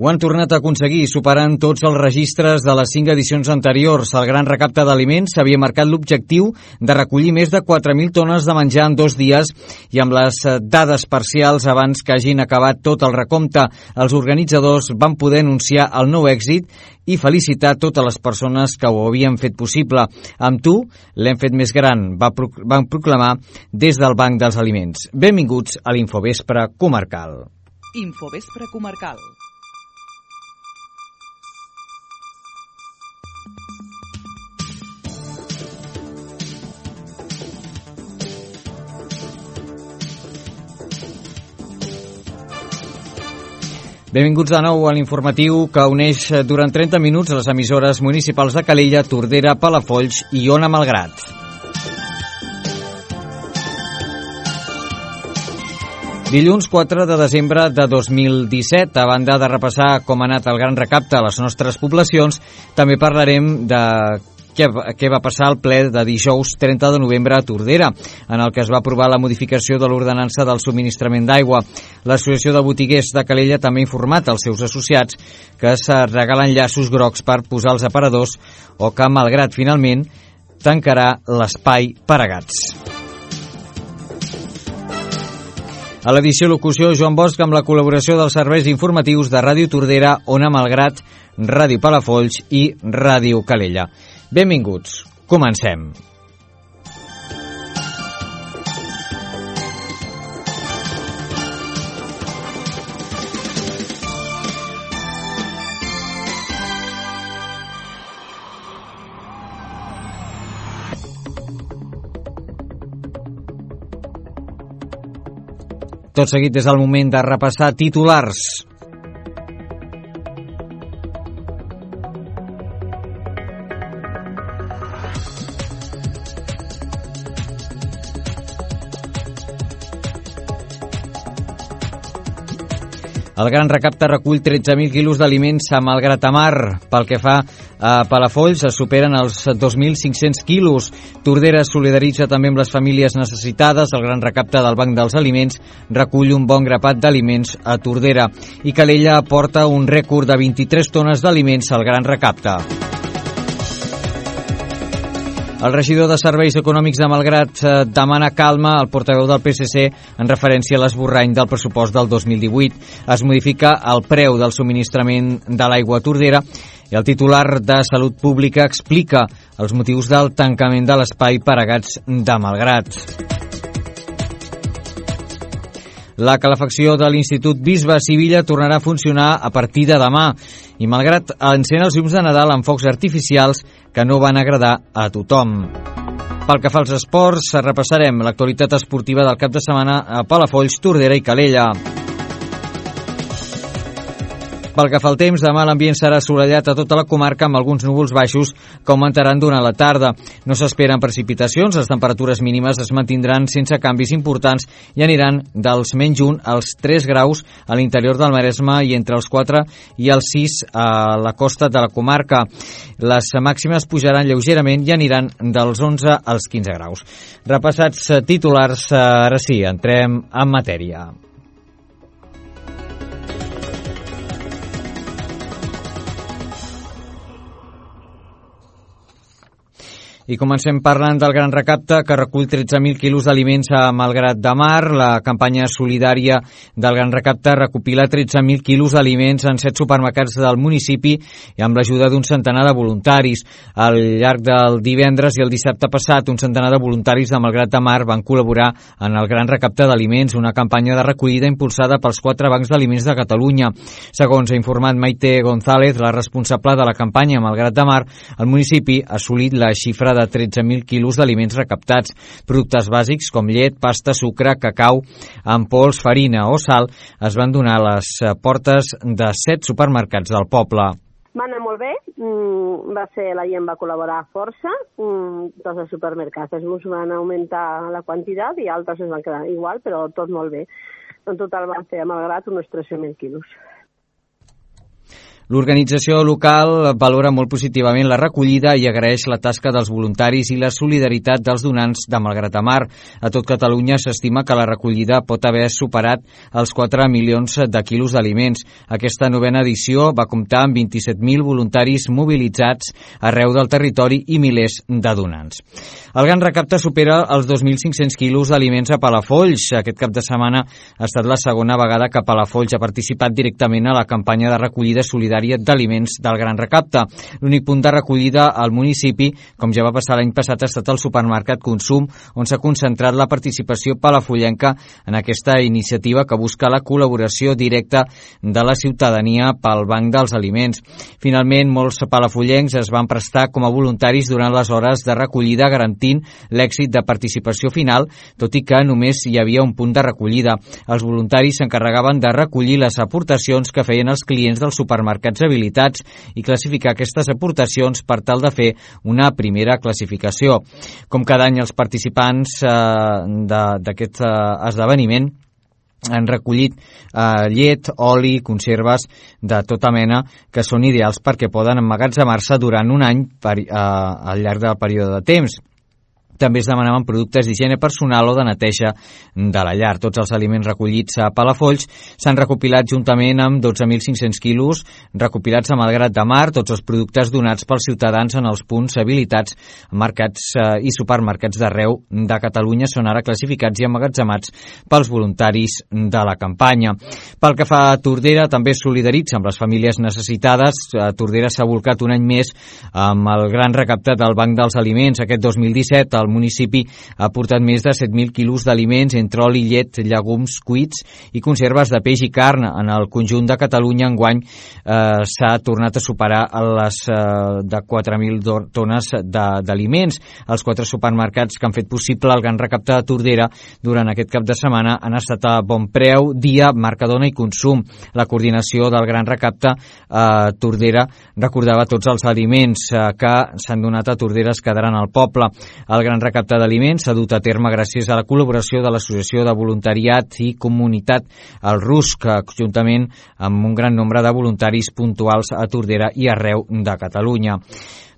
Ho han tornat a aconseguir, superant tots els registres de les 5 edicions anteriors. El gran recapte d'aliments s'havia marcat l'objectiu de recollir més de 4.000 tones de menjar en 2 dies i amb les dades parcials abans que hagin acabat tot el recompte, els organitzadors van poder anunciar el nou èxit i felicitar totes les persones que ho havien fet possible. Amb tu l'hem fet més gran, van proclamar des del Banc dels Aliments. Benvinguts a l'Infovespre Comarcal. Infovespre Comarcal. Benvinguts de nou a l'informatiu que uneix durant 30 minuts les emissores municipals de Calella, Tordera, Palafolls i Ona Malgrat. Dilluns 4 de desembre de 2017, a banda de repassar com ha anat el gran recapte a les nostres poblacions, també parlarem de què va passar al ple de dijous 30 de novembre a Tordera, en el que es va aprovar la modificació de l'ordenança del subministrament d'aigua. L'Associació de Botiguers de Calella també ha informat als seus associats que es regalen llaços grocs per posar els aparadors o que, malgrat finalment, tancarà l'espai per a gats. A l'edició locució, Joan Bosch, amb la col·laboració dels serveis informatius de Ràdio Tordera, Ona Malgrat, Ràdio Palafolls i Ràdio Calella. Benvinguts. Comencem. Tot seguit és el moment de repassar titulars. El gran recapte recull 13.000 quilos d'aliments a Malgrat de Mar. Pel que fa a Palafolls, es superen els 2.500 quilos. Tordera es solidaritza també amb les famílies necessitades. El gran recapte del Banc dels Aliments recull un bon grapat d'aliments a Tordera. I Calella aporta un rècord de 23 tones d'aliments al gran recapte. El regidor de Serveis Econòmics de Malgrat demana calma al portaveu del PSC en referència a l'esborrany del pressupost del 2018. Es modifica el preu del subministrament de l'aigua a Tordera i el titular de Salut Pública explica els motius del tancament de l'espai per a gats de Malgrat. La calefacció de l'Institut Bisbe Sivilla tornarà a funcionar a partir de demà i Malgrat encén els llums de Nadal amb focs artificials que no van agradar a tothom. Pel que fa als esports, repassarem l'actualitat esportiva del cap de setmana a Palafolls, Tordera i Calella. Pel que fa al temps, demà l'ambient serà assolellat a tota la comarca amb alguns núvols baixos que augmentaran durant la tarda. No s'esperen precipitacions, les temperatures mínimes es mantindran sense canvis importants i aniran dels -1 als 3 graus a l'interior del Maresme i entre els 4 i els 6 a la costa de la comarca. Les màximes pujaran lleugerament i aniran dels 11 als 15 graus. Repassats titulars, ara sí, entrem en matèria. I comencem parlant del gran recapte que recull 13.000 quilos d'aliments a Malgrat de Mar. La campanya solidària del gran recapte recopila 13.000 quilos d'aliments en 7 supermercats del municipi i amb l'ajuda d'un centenar de voluntaris. Al llarg del divendres i el dissabte passat, un centenar de voluntaris de Malgrat de Mar van col·laborar en el gran recapte d'aliments, una campanya de recollida impulsada pels 4 bancs d'aliments de Catalunya. Segons ha informat Maite González, la responsable de la campanya a Malgrat de Mar, el municipi ha assolit la xifra de 13.000 quilos d'aliments recaptats. Productes bàsics com llet, pasta, sucre, cacau, ampols, farina o sal es van donar a les portes de 7 supermercats del poble. Va anar molt bé, la gent va col·laborar força, tots els supermercats uns van augmentar la quantitat i altres es van quedar igual, però tot molt bé. En total van fer a Malgrat uns 13.000 quilos. L'organització local valora molt positivament la recollida i agraeix la tasca dels voluntaris i la solidaritat dels donants de Malgrat de Mar. A tot Catalunya s'estima que la recollida pot haver superat els 4 milions de quilos d'aliments. Aquesta novena edició va comptar amb 27.000 voluntaris mobilitzats arreu del territori i milers de donants. El Gran Recapte supera els 2.500 quilos d'aliments a Palafolls. Aquest cap de setmana ha estat la segona vegada que Palafolls ha participat directament a la campanya de recollida solidària d'aliments del Gran Recapte. L'únic punt de recollida al municipi, com ja va passar l'any passat, ha estat el supermercat Consum, on s'ha concentrat la participació palafollenca en aquesta iniciativa que busca la col·laboració directa de la ciutadania pel Banc dels Aliments. Finalment, molts palafollencs es van prestar com a voluntaris durant les hores de recollida, garantint l'èxit de participació final, tot i que només hi havia un punt de recollida. Els voluntaris s'encarregaven de recollir les aportacions que feien els clients dels supermercats habilitats i classificar aquestes aportacions per tal de fer una primera classificació. Com cada any, els participants d'aquest esdeveniment han recollit llet, oli, conserves de tota mena que són ideals perquè poden emmagatzemar-se durant un any al llarg del període de temps. També es demanaven productes d'higiene personal o de neteja de la llar. Tots els aliments recollits a Palafolls s'han recopilat juntament amb 12.500 quilos recopilats a Malgrat de Mar. Tots els productes donats pels ciutadans en els punts habilitats, mercats i supermercats d'arreu de Catalunya són ara classificats i emmagatzemats pels voluntaris de la campanya. Pel que fa a Tordera, també es solidaritza amb les famílies necessitades. Tordera s'ha volcat un any més amb el Gran Recapte del Banc dels Aliments. Aquest 2017 el municipi ha portat més de 7.000 quilos d'aliments entre oli, llet, llegums cuits i conserves de peix i carn. En el conjunt de Catalunya enguany s'ha tornat a superar les de 4.000 tones d'aliments. Els 4 supermercats que han fet possible el Gran Recapte de Tordera durant aquest cap de setmana han estat a Bon Preu, Dia, Mercadona i Consum. La coordinació del Gran Recapte a Tordera recordava tots els aliments que s'han donat a Tordera es quedaran al poble. El Gran Recapte d'aliments s'ha dut a terme gràcies a la col·laboració de l'Associació de Voluntariat i Comunitat El Rusc, juntament amb un gran nombre de voluntaris puntuals a Tordera i arreu de Catalunya.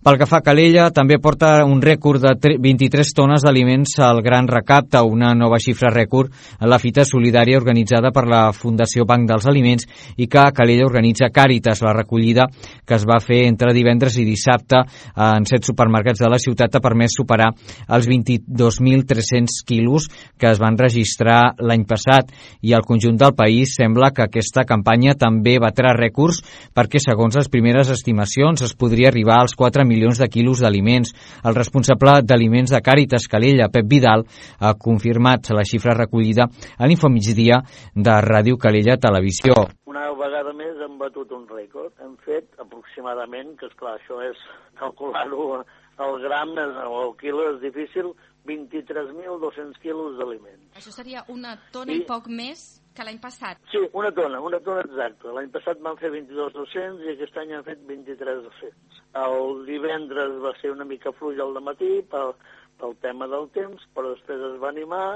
Pel que fa a Calella, també porta un rècord de 23 tones d'aliments al Gran Recapte, una nova xifra rècord en la fita solidària organitzada per la Fundació Banc dels Aliments i que a Calella organitza Càritas. La recollida que es va fer entre divendres i dissabte en 7 supermercats de la ciutat ha permès superar els 22.300 quilos que es van registrar l'any passat i al conjunt del país sembla que aquesta campanya també batrà rècords perquè, segons les primeres estimacions, es podria arribar als 4 milions de quilos d'aliments. El responsable d'aliments de Càritas Calella, Pep Vidal, ha confirmat la xifra recollida a l'Infomigdia de Ràdio Calella Televisió. Una vegada més hem batut un rècord. Hem fet aproximadament, que esclar, això és calcular-ho al gram o al quilo és difícil, 23.200 quilos d'aliments. Això seria una tona i poc més que l'any passat. Sí, una tona exacta. L'any passat van fer 22.200 i aquest any han fet 23.200. El divendres va ser una mica fluix al dematí pel tema del temps, però després es va animar.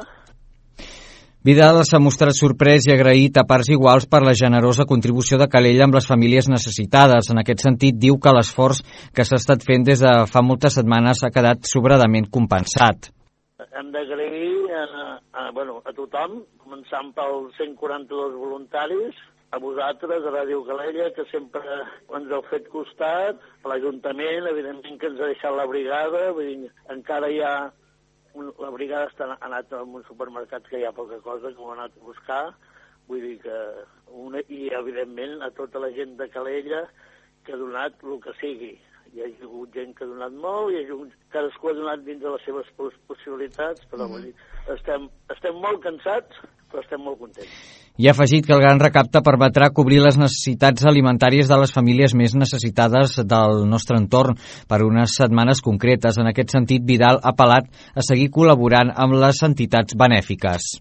Vidal s'ha mostrat sorprès i agraït a parts iguals per la generosa contribució de Calella amb les famílies necessitades. En aquest sentit, diu que l'esforç que s'ha estat fent des de fa moltes setmanes ha quedat sobradament compensat. Hem d'agrair a tothom, començant pels 142 voluntaris, a vosaltres, a Ràdio Calella, que sempre ens heu fet costat, a l'Ajuntament, evidentment que ens ha deixat la brigada, vull dir, encara hi ha... La brigada ha anat a un supermercat que hi ha poca cosa, que ho ha anat a buscar, vull dir que... I, evidentment, a tota la gent de Calella que ha donat el que sigui. Hi ha hagut gent que ha donat molt, cadascú ha donat dins de les seves possibilitats, però vull dir, estem molt cansats, però estem molt contents. I ha afegit que el Gran Recapte permetrà cobrir les necessitats alimentàries de les famílies més necessitades del nostre entorn per unes setmanes concretes. En aquest sentit, Vidal ha apel·lat a seguir col·laborant amb les entitats benèfiques.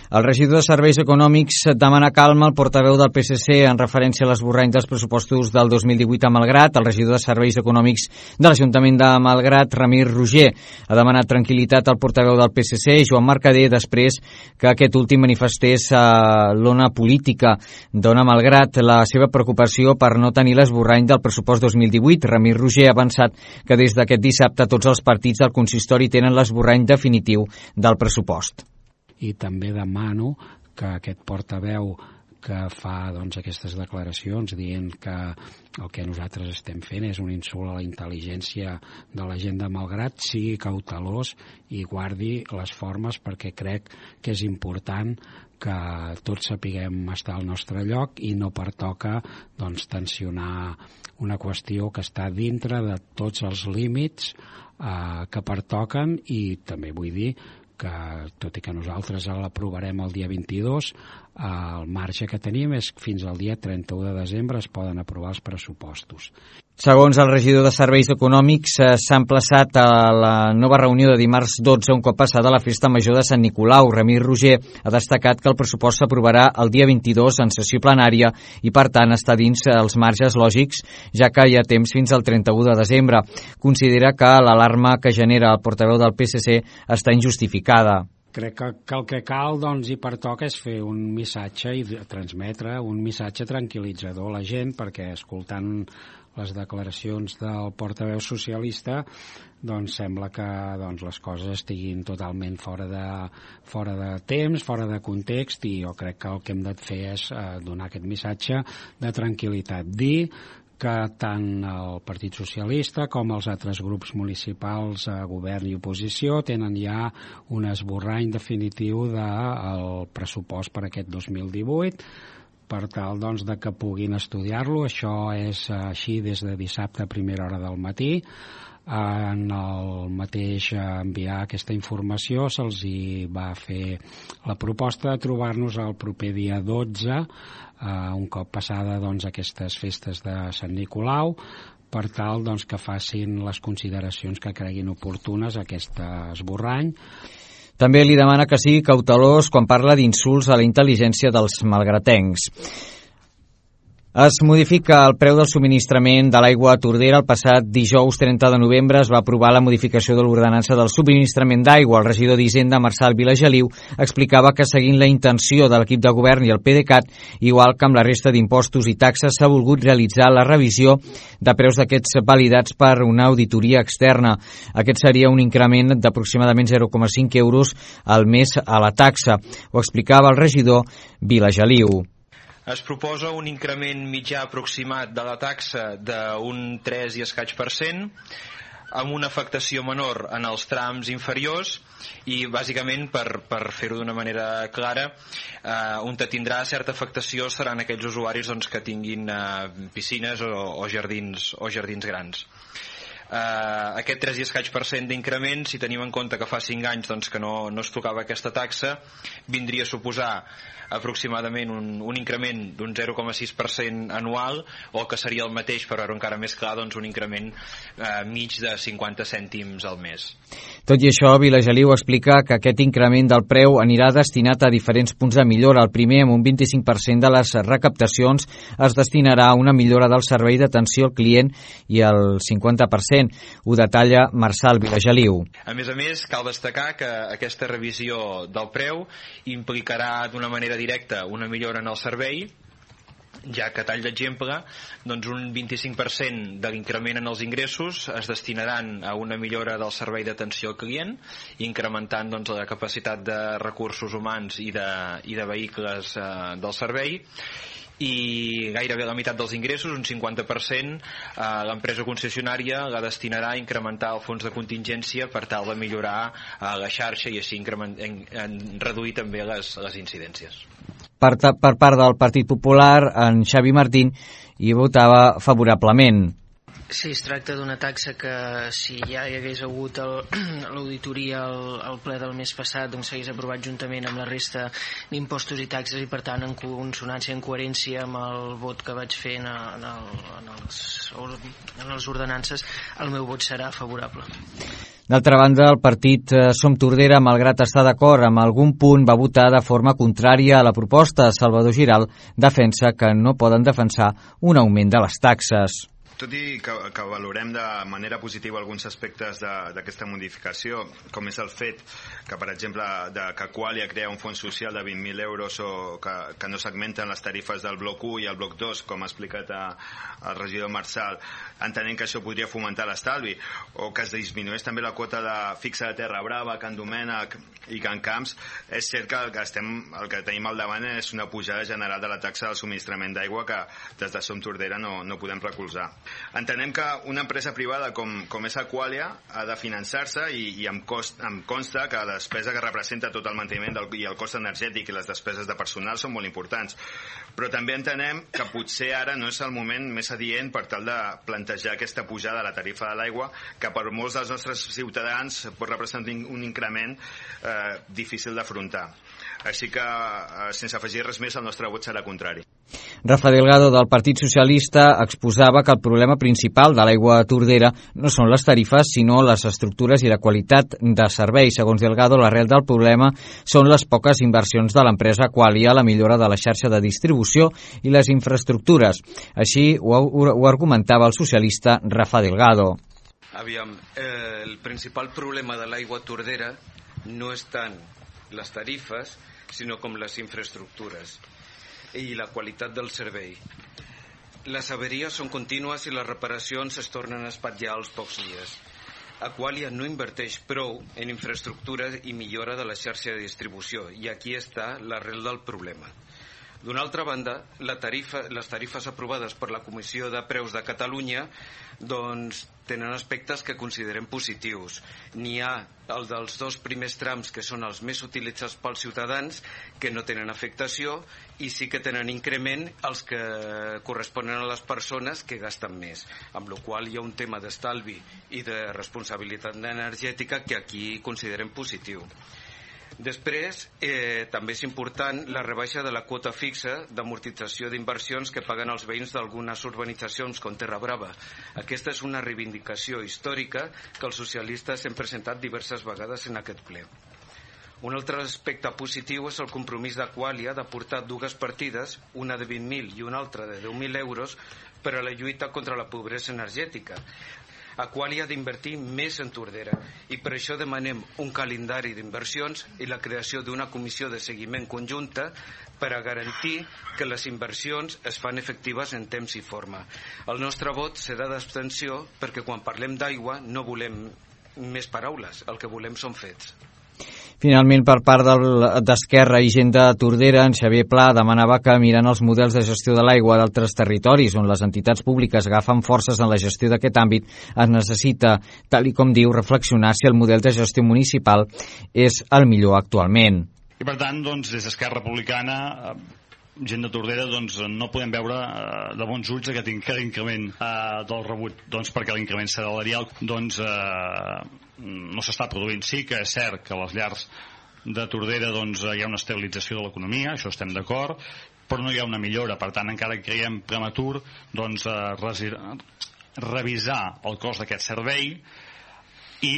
El regidor de Serveis Econòmics demana calma al portaveu del PSC en referència a l'esborrany dels pressupostos del 2018 a Malgrat. El regidor de Serveis Econòmics de l'Ajuntament de Malgrat, Ramir Roger, ha demanat tranquil·litat al portaveu del PSC, Joan Mercader, després que aquest últim manifestés a l'ona política. Dona Malgrat la seva preocupació per no tenir l'esborrany del pressupost 2018. Ramir Roger ha avançat que des d'aquest dissabte tots els partits del consistori tenen l'esborrany definitiu del pressupost. I també demano que aquest portaveu que fa aquestes declaracions dient que el que nosaltres estem fent és un insult a la intel·ligència de la gent de Malgrat, sigui cautelós i guardi les formes, perquè crec que és important que tots sapiguem estar al nostre lloc i no pertoca tensionar una qüestió que està dintre de tots els límits que pertoquen. I també vull dir que, tot i que nosaltres l'aprovarem el dia 22, el marge que tenim és que fins al dia 31 de desembre es poden aprovar els pressupostos. Segons el regidor de Serveis Econòmics, s'ha emplaçat a la nova reunió de dimarts 12 un cop passada la festa major de Sant Nicolau. Ramir Roger ha destacat que el pressupost s'aprovarà el dia 22 en sessió plenària i, per tant, està dins els marges lògics, ja que hi ha temps fins al 31 de desembre. Considera que l'alarma que genera el portaveu del PSC està injustificada. Crec que el que cal i pertoca és fer un missatge i transmetre un missatge tranquil·litzador a la gent, perquè escoltant les declaracions del portaveu socialista sembla que les coses estiguin totalment fora de temps, fora de context, i jo crec que el que hem de fer és donar aquest missatge de tranquil·litat. Dir que tant el Partit Socialista com els altres grups municipals, govern i oposició, tenen ja un esborrany definitiu del pressupost per aquest 2018, per tal de que puguin estudiar-lo. Això és així des de dissabte a primera hora del matí. En el mateix enviar aquesta informació se'ls hi va fer la proposta de trobar-nos el proper dia 12, un cop passada aquestes festes de Sant Nicolau, per tal que facin les consideracions que creguin oportunes a aquest esborrany. També li demana que sigui cautelós quan parla d'insults a la intel·ligència dels malgratencs. Es modifica el preu del subministrament de l'aigua a Tordera. El passat dijous 30 de novembre es va aprovar la modificació de l'ordenança del subministrament d'aigua. El regidor d'Hisenda, Marçal Vilageliu, explicava que seguint la intenció de l'equip de govern i el PDeCAT, igual que amb la resta d'impostos i taxes, s'ha volgut realitzar la revisió de preus d'aquests validats per una auditoria externa. Aquest seria un increment d'aproximadament 0,5 euros al mes a la taxa. Ho explicava el regidor Vilageliu. Es proposa un increment mitjà aproximat de la taxa d'un 3 i escaig %, amb una afectació menor en els trams inferiors i, bàsicament, per fer-ho d'una manera clara, on tindrà certa afectació seran aquells usuaris que tinguin piscines o jardins grans. Aquest 3 i escaig % d'increment, si tenim en compte que fa 5 anys que no es tocava aquesta taxa, vindria a suposar aproximadament un increment d'un 0,6% anual, o que seria el mateix, però encara més clar, un increment mig de 50 cèntims al mes. Tot i això, Vilageliu explica que aquest increment del preu anirà destinat a diferents punts de millora. El primer, amb un 25% de les recaptacions, es destinarà a una millora del servei d'atenció al client i el 50% ho detalla Marçal Vilageliu. A més, cal destacar que aquesta revisió del preu implicarà d'una manera directa una millora en el servei, ja que, a tall d'exemple, un 25% de l'increment en els ingressos es destinaran a una millora del servei d'atenció al client, incrementant la capacitat de recursos humans i de vehicles del servei, i gairebé la meitat dels ingressos, un 50%, l'empresa concessionària la destinarà a incrementar el fons de contingència per tal de millorar la xarxa i així reduir també les incidències. Per part del Partit Popular, en Xavi Martín hi votava favorablement. Sí, es tracta d'una taxa que si ja hi hagués hagut l'auditoria al ple del mes passat, doncs s'hagués aprovat juntament amb la resta d'impostos i taxes, i per tant en consonància, en coherència amb el vot que vaig fer en les ordenances, el meu vot serà favorable. D'altra banda, el partit Som Tordera, malgrat estar d'acord amb algun punt, va votar de forma contrària a la proposta. Salvador Giral defensa que no poden defensar un augment de les taxes. Tot i que valorem de manera positiva alguns aspectes d'aquesta modificació, com és el fet que, per exemple, que Qualia crea un fons social de 20.000 euros o que no segmenten les tarifes del bloc 1 i el bloc 2, com ha explicat el regidor Marçal, entenent que això podria fomentar l'estalvi, o que es disminueix també la quota fixa de Terra Brava, Can Domènec i Can Camps, és cert que el que tenim al davant és una pujada general de la taxa del subministrament d'aigua que des de Som Tordera no podem recolzar. Entenem que una empresa privada com és Aqualia ha de finançar-se i em consta que la despesa que representa tot el manteniment i el cost energètic i les despeses de personal són molt importants. Però també entenem que potser ara no és el moment més adient per tal de plantejar aquesta pujada de la tarifa de l'aigua, que per molts dels nostres ciutadans pot representar un increment difícil d'afrontar. Així que, sense afegir res més, el nostre vot serà contrari. Rafa Delgado, del Partit Socialista, exposava que el problema principal de l'aigua a Tordera no són les tarifes, sinó les estructures i la qualitat de servei. Segons Delgado, l'arrel del problema són les poques inversions de l'empresa Qualia a la millora de la xarxa de distribució i les infraestructures. Així ho argumentava el socialista Rafa Delgado. Aviam, el principal problema de l'aigua a Tordera no és tant les tarifes, sinó com les infraestructures i la qualitat del servei. Les averies són contínues i les reparacions es tornen a espatllar als pocs dies. Aqualia no inverteix prou en infraestructura i millora de la xarxa de distribució, i aquí està l'arrel del problema. D'una altra banda, les tarifes aprovades per la Comissió de Preus de Catalunya doncs tenen aspectes que considerem positius. N'hi ha el dels 2 primers trams, que són els més utilitzats pels ciutadans, que no tenen afectació, i sí que tenen increment els que corresponen a les persones que gasten més, amb la qual hi ha un tema d'estalvi i de responsabilitat energètica que aquí considerem positiu. Després, també és important la rebaixa de la quota fixa d'amortització d'inversions que paguen els veïns d'algunes urbanitzacions com Terra Brava. Aquesta és una reivindicació històrica que els socialistes hem presentat diverses vegades en aquest ple. Un altre aspecte positiu és el compromís d'Aqualia d'aportar 2 partides, una de 20.000 i una altra de 10.000 euros, per a la lluita contra la pobresa energètica. Aqualia ha d'invertir més en Tordera i per això demanem un calendari d'inversions i la creació d'una comissió de seguiment conjunta per a garantir que les inversions es fan efectives en temps i forma. El nostre vot serà d'abstenció perquè quan parlem d'aigua no volem més paraules, el que volem són fets. Finalment, per part d'Esquerra i Gent de Tordera, en Xavier Pla demanava que, mirant els models de gestió de l'aigua d'altres territoris on les entitats públiques agafen forces en la gestió d'aquest àmbit, es necessita, tal i com diu, reflexionar si el model de gestió municipal és el millor actualment. I per tant, doncs, des d'Esquerra Republicana, Gent de Tordera, doncs, no podem veure de bons ulls aquest increment del rebut, doncs, perquè l'increment salarial doncs, no s'està produint. Sí que és cert que a les llars de Tordera doncs, hi ha una estabilització de l'economia, això estem d'acord, però no hi ha una millora. Per tant, encara creiem prematur doncs, revisar el cost d'aquest servei i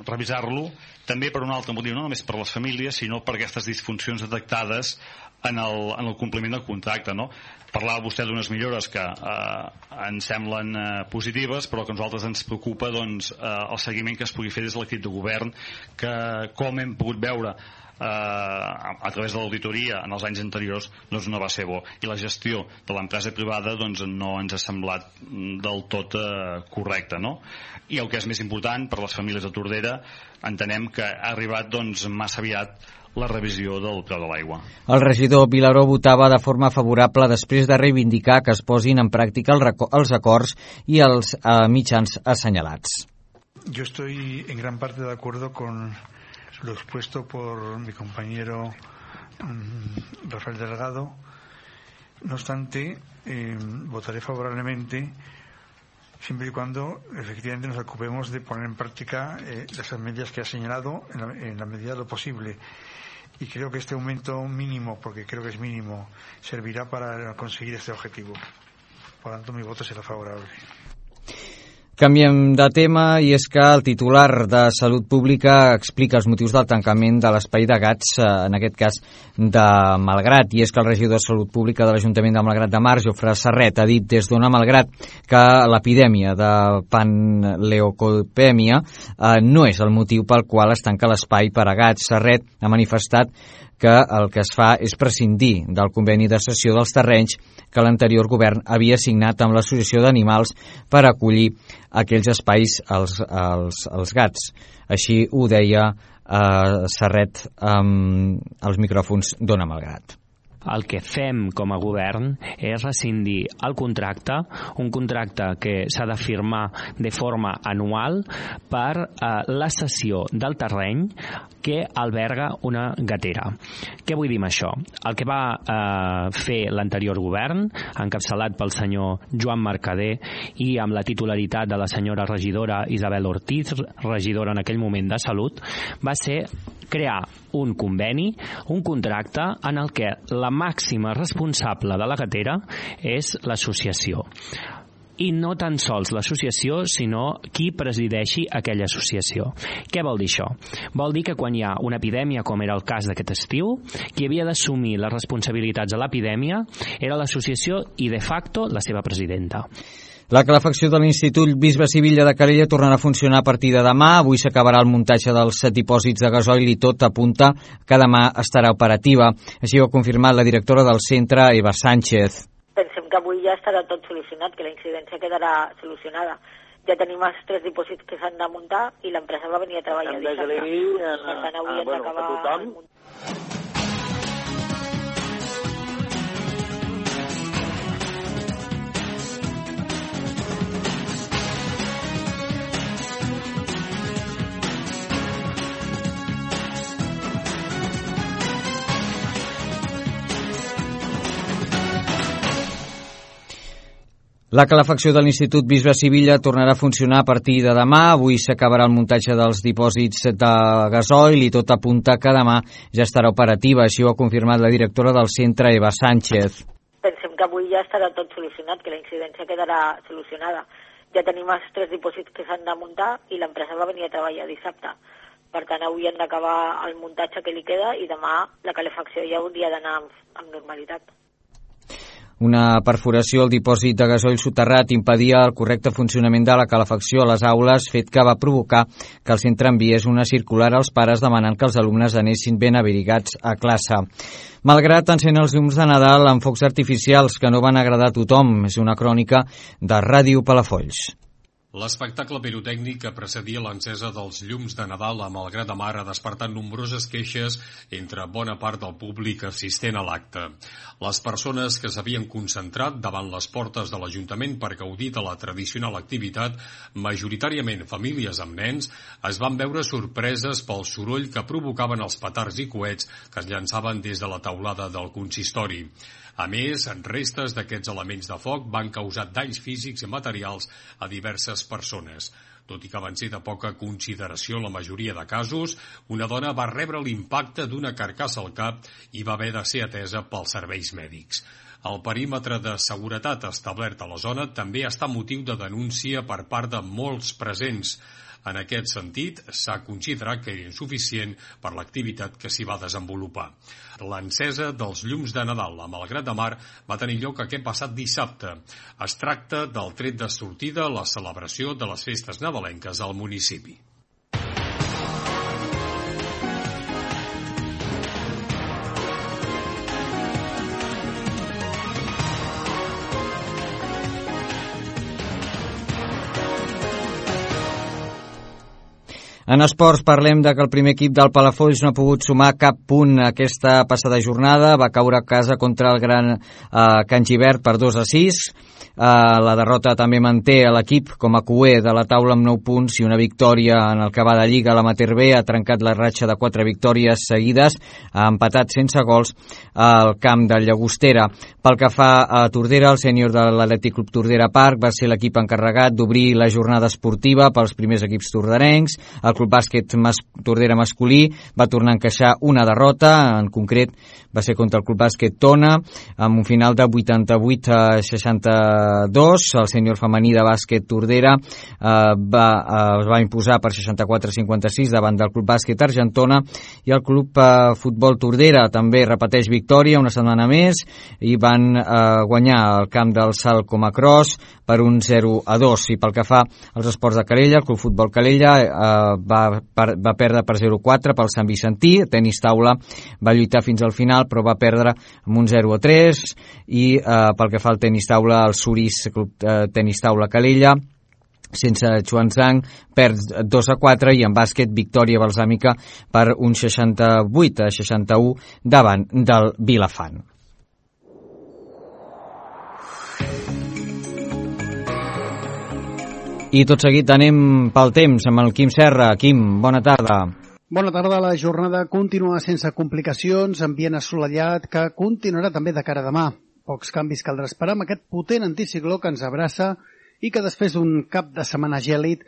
revisar-lo també per un altre motiu, no només per les famílies, sinó per aquestes disfuncions detectades en el compliment del contracte, no? Parlava vostè d'unes millores que ens semblen positives, però que a nosaltres ens preocupa doncs, el seguiment que es pugui fer des de l'equip de govern, que com hem pogut veure a través de l'auditoria en els anys anteriors doncs no va ser bo, i la gestió de l'empresa privada doncs no ens ha semblat del tot correcta, no? I el que és més important per les famílies de Tordera, entenem que ha arribat doncs massa aviat la revisió del preu de l'aigua. El regidor Vilaró votava de forma favorable després de reivindicar que es posin en pràctica els acords i els mitjans assenyalats. Yo estoy en gran parte de acuerdo con lo expuesto por mi compañero Rafael Delgado. No obstante, votaré favorablemente siempre y cuando efectivamente nos ocupemos de poner en práctica las medidas que ha señalado en la medida de lo posible. Y creo que este aumento mínimo, porque creo que es mínimo, servirá para conseguir este objetivo. Por lo tanto, mi voto será favorable. Canviem de tema, i és que el titular de Salut Pública explica els motius del tancament de l'espai de Gats, en aquest cas de Malgrat, i és que el regidor de Salut Pública de l'Ajuntament de Malgrat de Mar, Jofre Serret, ha dit des d'Ona Malgrat que l'epidèmia de panleucopèmia no és el motiu pel qual es tanca l'espai per a gats. Serret ha manifestat que el que es fa és prescindir del conveni de cessió dels terrenys que l'anterior govern havia signat amb l'Associació d'Animals per acollir aquells espais als gats. Així ho deia Serret als micròfons d'Ona Malgrat. El que fem com a govern és rescindir el contracte, un contracte que s'ha de firmar de forma anual per la cessió del terreny que alberga una gatera. Què vull dir amb això? El que va fer l'anterior govern, encapçalat pel senyor Joan Mercader i amb la titularitat de la senyora regidora Isabel Ortiz, regidora en aquell moment de Salut, va ser crear un conveni, un contracte en el que la màxima responsable de la gatera és l'associació. I no tan sols l'associació, sinó qui presideixi aquella associació. Què vol dir això? Vol dir que quan hi ha una epidèmia, com era el cas d'aquest estiu, qui havia d'assumir les responsabilitats de l'epidèmia era l'associació i, de facto, la seva presidenta. La calefacció de l'Institut Bisbe Sivilla de Calella tornarà a funcionar a partir de demà. Avui s'acabarà el muntatge dels dipòsits de gasoil i tot apunta que demà estarà operativa. Així ho ha confirmat la directora del centre, Eva Sánchez. Pensem que avui ja estarà tot solucionat, que la incidència quedarà solucionada. Ja tenim els 3 dipòsits que s'han de muntar i l'empresa va venir a treballar dissabte. Per tant, avui hem d'acabar el muntatge. La calefacció de l'Institut Bisbe Sivilla tornarà a funcionar a partir de demà. Avui s'acabarà el muntatge dels dipòsits de gasoil i tot apunta que demà ja estarà operativa. Així ho ha confirmat la directora del centre, Eva Sánchez. Pensem que avui ja estarà tot solucionat, que la incidència quedarà solucionada. Ja tenim els 3 dipòsits que s'han de muntar i l'empresa va venir a treballar dissabte. Per tant, avui hem d'acabar el muntatge que li queda i demà la calefacció ja hauria d'anar amb normalitat. Una perforació al dipòsit de gasoil soterrat impedia el correcte funcionament de la calefacció a les aules, fet que va provocar que el centre enviés una circular als pares demanant que els alumnes anessin ben abrigats a classe. Malgrat encén els llums de Nadal amb focs artificials que no van agradar a tothom. És una crònica de Ràdio Palafolls. L'espectacle pirotècnic que precedia l'encesa dels llums de Nadal a Malgrat de Mar ha despertat nombroses queixes entre bona part del públic assistent a l'acte. Les persones que s'havien concentrat davant les portes de l'Ajuntament per gaudir de la tradicional activitat, majoritàriament famílies amb nens, es van veure sorpreses pel soroll que provocaven els petards i coets que es llançaven des de la teulada del consistori. A més, restes d'aquests elements de foc van causar danys físics i materials a diverses persones. Tot i que van ser de poca consideració en la majoria de casos, una dona va rebre l'impacte d'una carcassa al cap i va haver de ser atesa pels serveis mèdics. El perímetre de seguretat establert a la zona també està motiu de denúncia per part de molts presents. En aquest sentit, s'ha considerat que era insuficient per l'activitat que s'hi va desenvolupar. L'encesa dels llums de Nadal a Malgrat de Mar va tenir lloc aquest passat dissabte. Es tracta del tret de sortida a la celebració de les festes nadalenques al municipi. En esports parlem de que el primer equip del Palafolls no ha pogut sumar cap punt aquesta passada jornada, va caure a casa contra el Gran Can Gibert per 2-6. La derrota també manté l'equip com a cuer de la taula amb 9 punts i una victòria en el que va de Lliga. L'Amater B ha trencat la ratxa de 4 victòries seguides, ha empatat sense gols al camp del Llagostera. Pel que fa a Tordera, el sènior de l'Atlètic Club Tordera Parc va ser l'equip encarregat d'obrir la jornada esportiva pels primers equips torderencs. El Club Bàsquet Tordera masculí va tornar a encaixar una derrota, en concret va ser contra el Club Bàsquet Tona, amb un final de 88-62. El sènior femení de bàsquet Tordera es va imposar per 64-56 davant del Club Bàsquet Argentona, i el Club Futbol Tordera també repeteix victòria una setmana més i van guanyar el camp del Salt com a Cross per un 0-2. I pel que fa als esports de Calella, el Club Futbol Calella va perdre per 0-4 pel Sant Vicentí. Tenis taula va lluitar fins al final però va perdre amb un 0-3, i pel que fa al tenis taula, el Surís Club Tenis Taula Calella sense Xuanzang perd 2-4, i en bàsquet victòria balsàmica per un 68-61 davant del Vilafant. I tot seguit anem pel temps amb el Quim Serra. Quim, bona tarda. Bona tarda. La jornada continua sense complicacions, ambient assolellat que continuarà també de cara a demà. Pocs canvis caldrà esperar amb aquest potent anticicló que ens abraça i que després d'un cap de setmana gèlid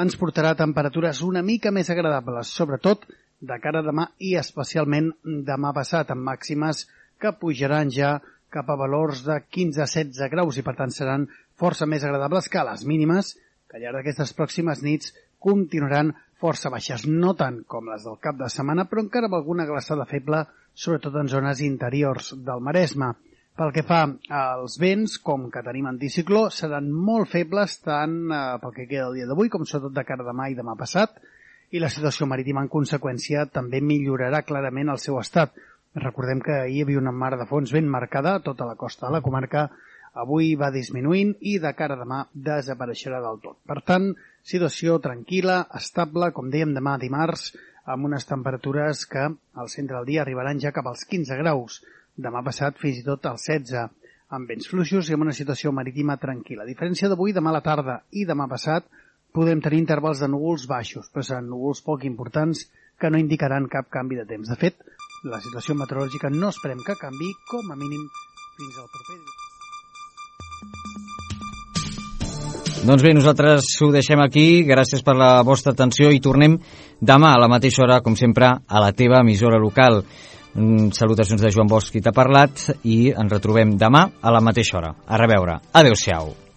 ens portarà temperatures una mica més agradables, sobretot de cara a demà i especialment demà passat, amb màximes que pujaran ja cap a valors de 15-16 graus i per tant seran força més agradables que les mínimes, que al llarg d'aquestes pròximes nits continuaran força baixes, no tant com les del cap de setmana, però encara amb alguna glaçada feble, sobretot en zones interiors del Maresme. Pel que fa als vents, com que tenim anticicló, seran molt febles tant pel que queda el dia d'avui com sobretot de cara a demà i demà passat, i la situació marítima en conseqüència també millorarà clarament el seu estat. Recordem que ahir hi havia una mar de fons ben marcada a tota la costa de la comarca, avui va disminuint i de cara a demà desapareixerà del tot. Per tant, situació tranquil·la, estable, com dèiem demà dimarts, amb unes temperatures que al centre del dia arribaran ja cap als 15 graus, demà passat fins i tot als 16, amb vents fluixos i amb una situació marítima tranquil·la. A diferència d'avui, demà a la tarda i demà passat podrem tenir intervals de núvols baixos, però seran núvols poc importants que no indicaran cap canvi de temps. De fet, la situació meteorològica no esperem que canvi, com a mínim fins al proper dia. Doncs bé, nosaltres ho deixem aquí. Gràcies per la vostra atenció i tornem demà a la mateixa hora, com sempre, a la teva emissora local. Salutacions de Joan Bosch, qui t'ha parlat, i ens retrobem demà a la mateixa hora. A reveure. Adéu-siau.